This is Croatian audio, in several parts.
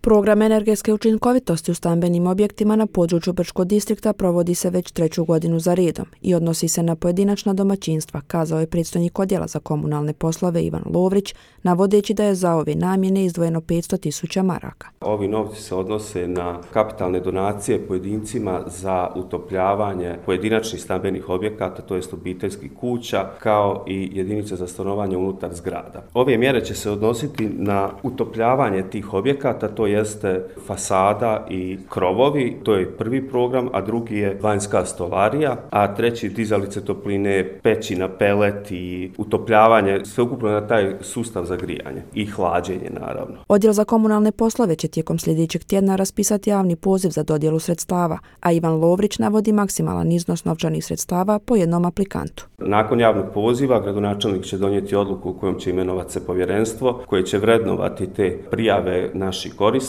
Program energetske učinkovitosti u stambenim objektima na području Brčkog distrikta provodi se već 3. godinu za redom i odnosi se na pojedinačna domaćinstva, kazao je predstojnik odjela za komunalne poslove Ivan Lovrić, navodeći da je za ove namjene izdvojeno 500.000 maraka. Ovi novci se odnose na kapitalne donacije pojedincima za utopljavanje pojedinačnih stambenih objekata, to jest obiteljskih kuća, kao i jedinice za stanovanje unutar zgrada. Ove mjere će se odnositi na utopljavanje tih objekata, to jeste fasada i krovovi, to je prvi program, a drugi je vanjska stolarija, a treći dizalice topline, peći na pelet i utopljavanje, sveukupno na taj sustav za grijanje i hlađenje naravno. Odjel za komunalne poslove će tijekom sljedećeg tjedna raspisati javni poziv za dodjelu sredstava, a Ivan Lovrić navodi maksimalan iznos novčanih sredstava po jednom aplikantu. Nakon javnog poziva gradonačelnik će donijeti odluku u kojom će imenovati se povjerenstvo koje će vrednovati te prijave naših korisnika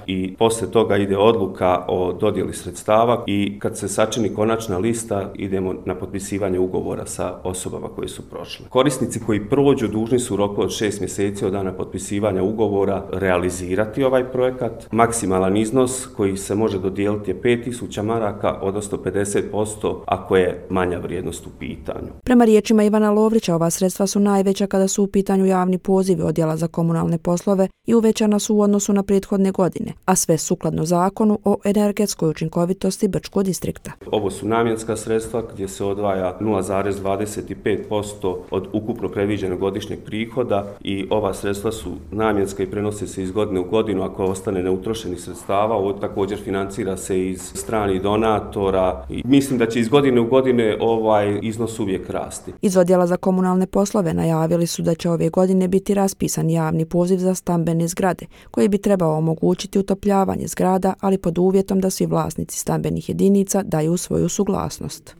i poslije toga ide odluka o dodjeli sredstava i kad se sačini konačna lista idemo na potpisivanje ugovora sa osobama koje su prošle. Korisnici koji prođu dužni su u roku od 6 mjeseci od dana potpisivanja ugovora realizirati ovaj projekat. Maksimalan iznos koji se može dodijeliti je 5.000 maraka, odnosno 50% ako je manja vrijednost u pitanju. Prema riječima Ivana Lovrića, ova sredstva su najveća kada su u pitanju javni pozivi odjela za komunalne poslove i uvećana su u odnosu na prethodne godine, a sve sukladno zakonu o energetskoj učinkovitosti Brčkog distrikta. Ovo su namjenska sredstva gdje se odvaja 0,25% od ukupno predviđenog godišnjeg prihoda i ova sredstva su namjenska i prenose se iz godine u godinu ako ostane neutrošenih sredstava. Ovo također financira se iz stranih donatora i mislim da će iz godine u godine ovaj iznos uvijek rasti. Iz odjela za komunalne poslove najavili su da će ove godine biti raspisan javni poziv za stambene zgrade, koji bi trebao omogućiti utopljavanje zgrada, ali pod uvjetom da svi vlasnici stambenih jedinica daju svoju suglasnost.